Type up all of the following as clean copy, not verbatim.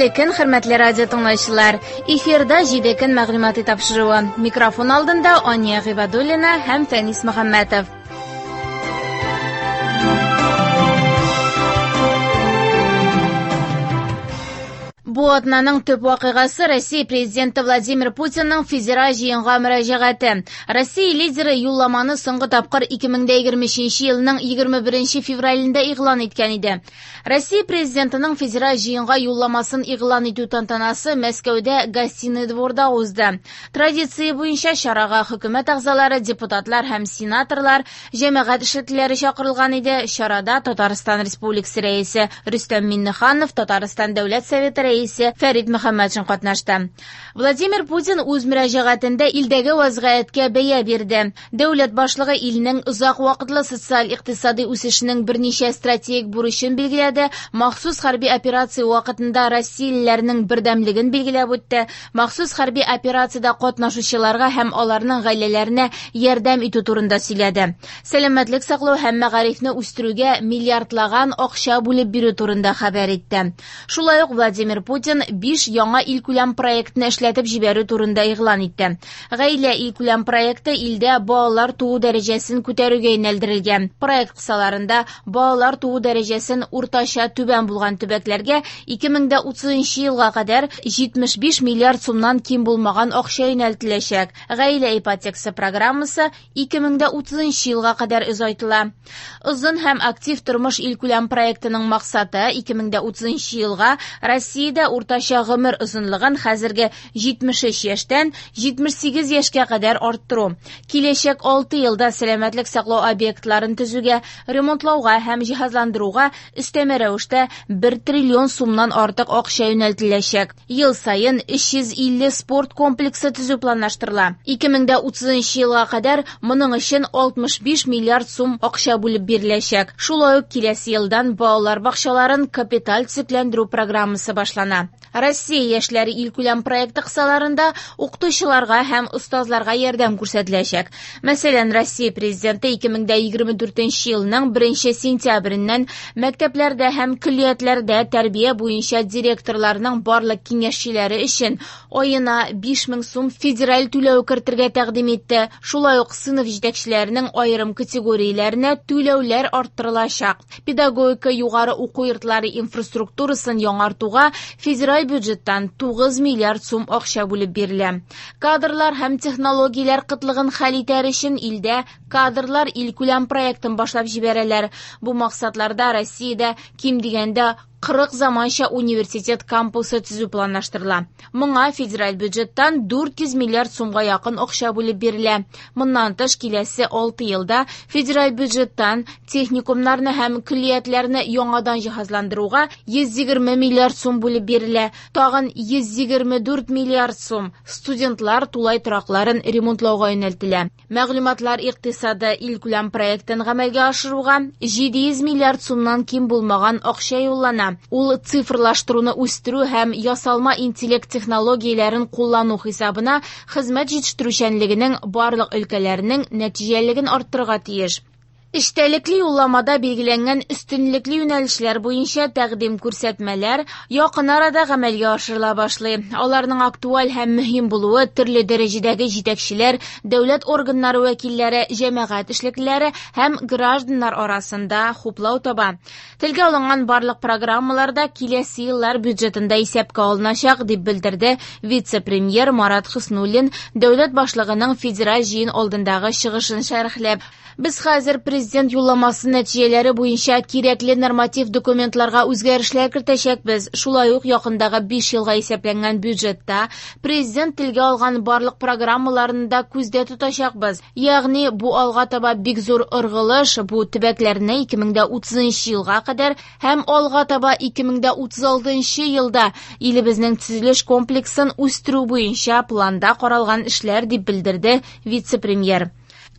Хәерле көн, хөрмәтле радио тыңлаучылар. Эфирда 7 көн мәгълүмати тапшыруы. Микрофон алдында Ания Гыйбадуллина һәм Фәнис Мөхәммәтов. Бу атнаның төп вакыйгасы Россия президенты Владимир Путинның федераль җыенга мөрәҗәгате. Россия лидеры юлламаны соңгы тапкыр 2023 елның 21 февралендә игълан иткән иде. Россия президентының федераль җыенга юлламасын игълан итү тантанасы Мәскәүдә Гостиный дворда узды. Традиция буенча чарага хөкүмәт әгъзалары, депутатлар һәм сенаторлар, җәмәгать эшлеклеләре чакырылган иде. Чарада Татарстан Республикасы Рәисе Рөстәм Миңнеханов, Татарстан Дәүләт Советы Рәисе Фәрит Мөхәммәтшин катнашты. Владимир Путин үз мөрәҗәгатендә илдәге вазгыятькә бәя бирде. Дәүләт башлыгы илнең озак вакытлы социаль-икътисади үсешенең берничә стратегик бурычын билгеләде, махсус хәрби операция вакытында россиялеләрнең бердәмлеген билгеләп үтте, махсус хәрби операциядә катнашучыларга һәм аларның гаиләләренә ярдәм итү турында сөйләде. Сәламәтлек саклау һәм мәгарифне үстерүгә миллиардлаган акча бүлеп бирү турында хәбәр итте. Шулай ук Владимир Путин 5 яңа илкүләм проектны эшләтеп җибәрү турында игълан итте. Гаилә илкүләм проекты илдә балалар туу дәрәҗәсен күтәрүгә юнәлдерелгән. Проект кысаларында балалар туу дәрәҗәсен уртача түбән булган төбәкләргә 2030 елга кадәр 75 миллиард сумнан ким булмаган акча юнәлтеләчәк. Гаилә ипотекасы программасы 2030 елга кадәр озайтыла. Озын һәм актив тормыш илкүләм проектының максаты 2030 елга Россиядә уртача гомер озынлыгын хәзерге 73 яшьтән 78 яшькә кадәр арттыру. Киләчәк 6 елда сәламәтлек саклау объектларын төзүгә, ремонтлауга һәм җиһазландыруга өстәмә рәвештә 1 триллион сумнан артык акча юнәлтеләчәк. Ел саен 350 спорт комплексы төзү планлаштырыла. 2030 елга кадәр моның өчен 65 миллиард сум акча бүлеп биреләчәк. Шулай ук киләсе елдан балалар бакчаларын капиталь төзекләндерү программасы башлана. Россия яшьләре илкүләм проекты кысаларында укытучыларга һәм остазларга ярдәм күрсәтеләчәк. Мәсәлән, Россия президенты 2024 елның 1 сентябреннән мәктәпләрдә һәм көллиятләрдә тәрбия буенча директорларның барлык киңәшчеләре өчен аена 5000 сум федераль түләү кертергә тәкъдим итте. Шулай ук сыйныф җитәкчеләренең аерым категорияләренә түләүләр арттырылачак. Педагогика югары уку йортлары инфраструктурасын яңартуга федераль бюджеттан 9 миллиард сум акча бүлеп бирелә. Кадрлар һәм технологияләр кытлыгын хәл итәр өчен илдә кадрлар илкүләм проектын башлап җибәрәләр. Бу максатларда Россиядә ким дигәндә 40 заманча университет кампусы төзү планлаштырыла. Моңа федераль бюджеттан 400 миллиард сумга якын акча бүлеп бирелә. Моннан тыш киләсе 6 елда федераль бюджеттан техникумнарны һәм көллиятләрне яңадан җиһазландыруга 120 миллиард сум бүлеп бирелә. Тагын 124 миллиард сум студентлар тулай торакларын ремонтлауга юнәлтелә. Мәгълүматлар икътисады илкүләм проектын гамәлгә ашыруга 700 миллиард сумнан ким булмаган акча юллана. Ул цифрлаштыруны үстерү һәм ясалма интеллект технологияләрен куллану хисабына хезмәт җитештерүчәнлегенең барлык өлкәләренең нәтиҗәлелеген арттырырга тиеш. Эчтәлекле юлламада билгеләнгән өстенлекле юнәлешләр буенча тәкъдим күрсәтмәләр якын арада гамәлгә ашырыла башлый. Аларның актуаль һәм мөһим булуы төрле дәрәҗәдәге җитәкчеләр, дәүләт органнары вәкилләре, җәмәгать эшлеклеләре һәм гражданнар арасында хуплау таба. Телгә алынган барлык программалар да киләсе еллар бюджетында исәпкә алыначак, дип белдерде вице-премьер Марат Хөснуллин дәүләт башлыгының федераль җыен алдындагы чыгышын шәрехләп. Без хәзер президент юлламасы нәтиҗәләре буенча кирәкле норматив документларга үзгәрешләр кертәчәкбез. Шулай ук якындагы 5 елга исәпләнгән бюджетта президент телгә алган барлык программаларны да күздә тотачакбыз. Ягъни бу алга таба бик зур ыргылыш, бу төбәкләрне 2030 елга кадәр һәм алга таба 2036 елда илебезнең төзелеш комплексын үстерү буенча планда каралган эшләр, дип белдерде вице-премьер.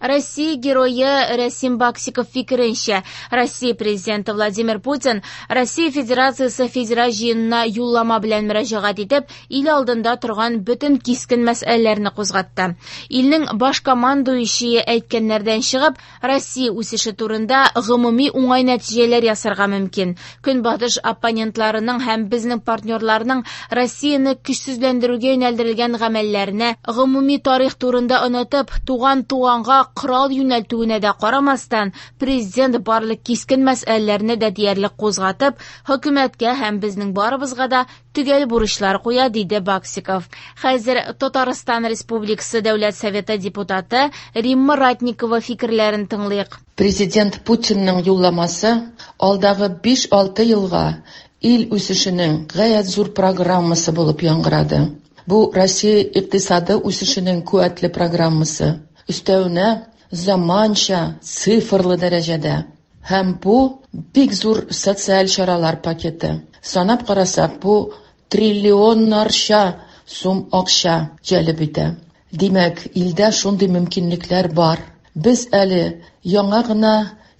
Россия герое Рәсим Баксиков фикеренчә, Россия президенты Владимир Путин Россия Федерациясе Федераль җыенына юллама белән мөрәҗәгать итеп, ил алдында торган бөтен кискен мәсьәләләрне кузгатты. Илнең баш командующие әйткәннәрдән чыгып, Россия үсеше турында гомуми уңай нәтиҗәләр ясарга мөмкин. Көнбатыш оппонентларының һәм безнең партнерларның Россияне көчсезләндерүгә юнәлдерелгән гамәлләренә, гомуми тарих турында онытып, туган туганга корал юнәлтүенә дә карамастан, президент барлык кискен мәсьәләләрне дә диярлек кузгатып, хөкүмәткә һәм безнең барыбызга да төгәл бурычлар куя, диде Баксиков. Хәзер Татарстан Республикасы Дәүләт Советы депутаты Римма Ратникова фикерләрен тыңлыйк. Президент Путинның юлламасы алдагы 5-6 елга ил үсешенең гаять зур программасы булып яңгырады. Бу Россия икътисады үсешенең куәтле программасы. Өстәвенә заманча, цифрлы дәрәҗәдә. Һәм бу бик зур социаль чаралар пакеты. Санап карасак, бу триллионнарча сум акча җәлеп итә. Димәк, илдә шундый мөмкинлекләр бар. Без әле яңа гына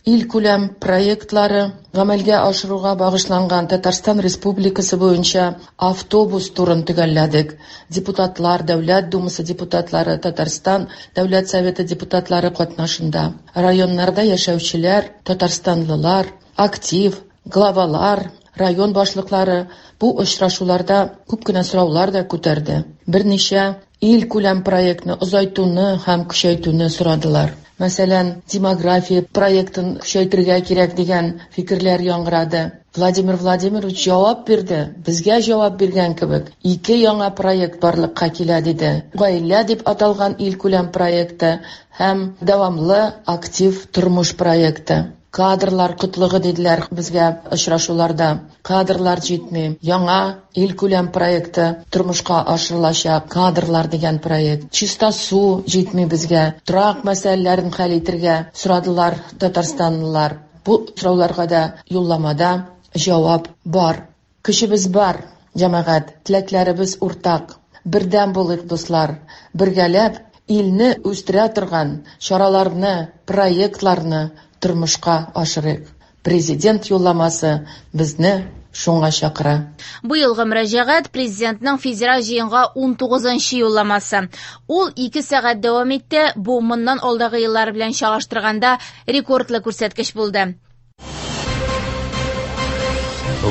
илкүләм проектлары гамәлгә ашыруга багышланган Татарстан Республикасы буенча автобус турын төгәлләдек. Депутатлар, Дәүләт Думасы депутатлары, Татарстан Дәүләт Советы депутатлары катнашында районнарда яшәүчеләр, татарстанлылар, актив, главалар, район башлыклары бу очрашуларда күп кенә сораулар да күтәрде. Берничә илкүләм проектны озайтуны һәм көчәйтүне сорадылар. Мәсәлән, демография проектын көчәйтергә кирәк дигән фикерләр яңгырады. Владимир Владимирович җавап бирде, безгә җавап биргән кебек, ике яңа проект барлыкка килә диде. Гаилә дип аталган илкүләм проекты һәм дәвамлы актив тормыш проекты. Кадрлар кытлыгы диделәр безгә очрашуларда. Кадрлар җитми. Яңа илкүләм проекты тормышка ашырылачак. Кадрлар дигән проект. Чиста су җитми безгә. Торак мәсьәләләрен хәл итергә сорадылар татарстанлылар. Бу сорауларга да юлламада җавап бар. Көчебез бар, җәмәгать, теләкләребез уртак. Бердәм булыйк, дуслар. Бергәләп илне үстерә торган чараларны, проектларны тормышка ашырыйк. Президент юлламасы безне шуңа чакыра. Бу елгы мөрәҗәгать президентның федераль җыенга 19-нчы юлламасы. Ул 2 сәгать дәвам итте. Бу моннан алдагы еллар белән чагыштырганда рекордлы күрсәткеч булды.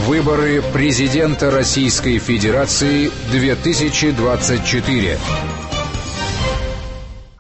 Выборы президента Российской Федерации 2024.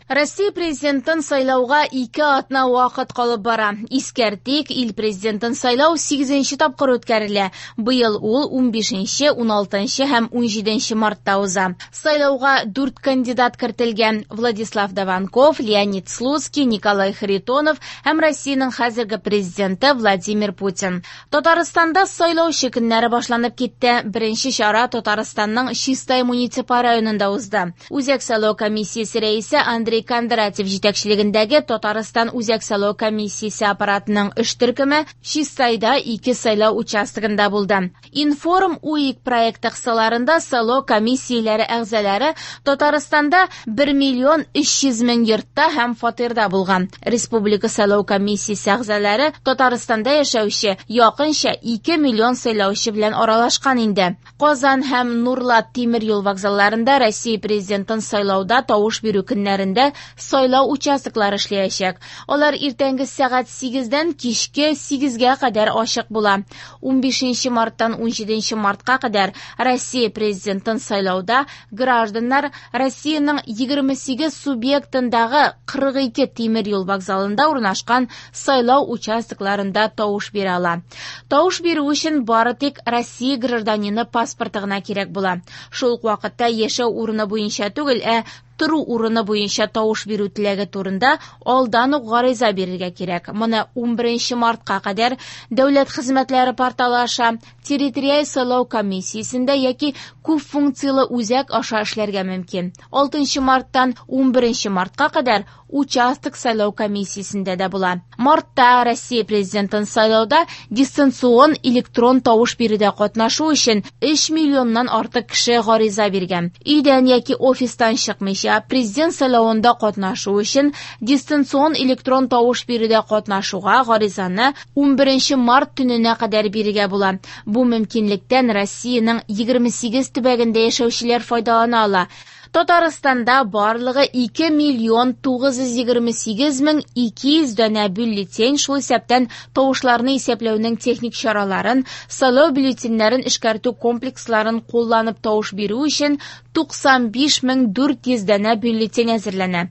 Россия президентын сайлауга 2 атна вакыт калып бара. Искәртик, ил президентын сайлау 8-нче тапкыр үткәрелә. Быел ул 15-нче, 16-нчы һәм 17-нче мартта уза. Сайлауга 4 кандидат кертелгән: Владислав Даванков, Леонид Слуцкий, Николай Харитонов һәм Россиянең хәзерге президенты Владимир Путин. Татарстанда сайлаучы көннәре башланып китте. Беренче чара Татарстанның Чистай муниципаль районында узды. Үзәк сайлау комиссиясе рәисе Андрей Кондратьев җитәкчелегендәге Татарстан Үзәк сайлау комиссиясе аппаратының эш төркеме Чистайда 2 сайлау участогында булды. Информ УИК проекты кысаларында сайлау комиссияләре әгъзалары Татарстанда 1 миллион 300 мең йортта һәм фатирда булган. Республика сайлау комиссиясе әгъзалары Татарстанда яшәүче якынча 2 миллион сайлаучы белән аралашкан инде. Казан һәм Нурлат тимер юл вокзалларында Россия президентын сайлауда тавыш бирү көннәрендә сайлау участоклары эшләячәк. Алар иртәнге сәгать 8-дән кичке 8-гә кадәр ачык була. 15 марттан 17 мартка кадәр Россия президентын сайлауда гражданнар Россиянең 28 субъектындагы 42 тимер юл вокзалында урнашкан сайлау участокларында тавыш бирә ала. Тавыш бирү өчен бары тик Россия гражданины паспорты гына кирәк була. Шул ук вакытта яшәү урыны буенча түгел, ә тору урыны буенча тавыш бирү теләге турында алдан ук гариза бирергә кирәк. Моны 11 мартка кадәр Дәүләт хезмәтләре порталы аша, территориаль сайлау комиссиясендә яки күп функцияле үзәк аша эшләргә мөмкин. 6 марттан 11 мартка кадәр участок сайлау комиссиясендә дә була. Мартта Россия президентын сайлауда дистанцион электрон тавыш бирүдә катнашу өчен 3 миллионнан артык кеше гариза биргән. Өйдән яки офистан чыкмыйча буенча, президент сайлавында катнашу өчен дистанцион электрон тавыш бирүдә катнашуга гаризаны 11 март төненә кадәр бирергә була. Бу мөмкинлектән Россиянең 28 төбәгендә яшәүчеләр файдалана ала. Татарстанда барлыгы 2 миллион 928 мең 200 данә бюллетень, шул исәптән тавышларны исәпләүнең техник чараларын, сайлау бюллетеньнәрен эшкәртү комплексларын кулланып тавыш бирү өчен 95 мең 400 данә бюллетень әзерләнә.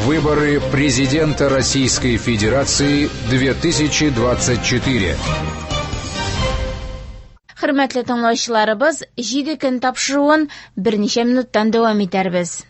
Выборы президента Российской Федерации 2024. Хөрмәтле тыңлаучыларыбыз, 7 көн тапшыруын берничә минуттан дәвам итәрбез.